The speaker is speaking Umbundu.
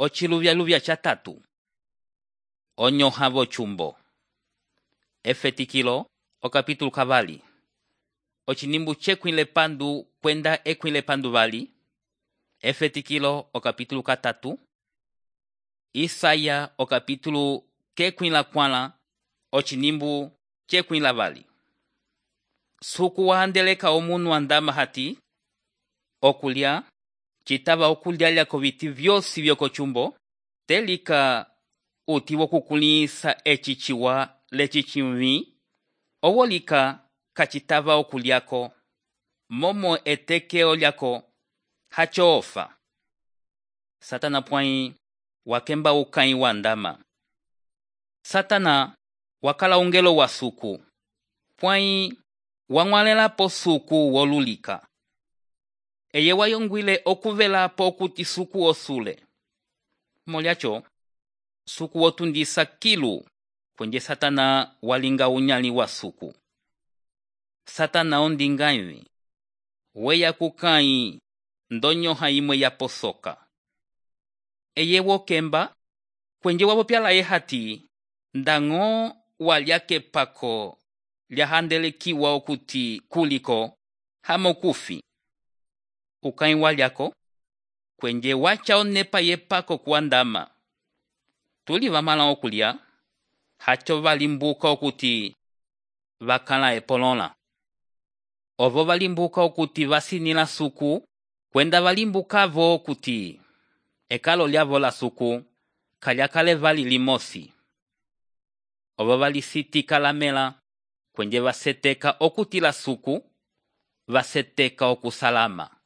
Ociluvyaluvya catatu. Onyoha vochumbo. Efetikilo okapítulo kavali. Ocinimbu chekwile pandu kwenda ekwile pandu vali. Efetikilo okapítulo katatu. Isaya okapítulo kekwila kwala. Ocinimbu chekwila vali. Suku wahandeleka omunu andama hati. Okulya. Citava okulyalya koviti vyosi vyokochumbo. Telika uti wokukulisa eciciwa lecicimvi. Owolika kacitava okulyako. Momo etekeo lyako hacho ofa. Satana pwai wakemba ukai wandama. Satana wakala ungelo wa suku. Pwai wangwalela po suku wolulika. Eye wayongwile okuvela po kuti suku osule. Moliacho, suku wotundisa kilu kwenye Satana walinga unyali wa suku. Satana ondingaivi. Weya kukai ndonyoha imwe ya posoka. Eye wokemba kwenye wapopyala hati ndango walyake pako lyahandelekiwa okuti kuliko hamokufi. Ukai walyako kwenye wacha onepa yepako kuandama. Tuli vamala okulya hacho valimbuka okuti vakala epolola. Ovo valimbuka okuti vasinila suku kwenda valimbuka vo okuti ekalo lyavo la suku kalyakale vali limosi. Ovo valisitika lamela kwenye vaseteka okuti la suku vaseteka okusalama.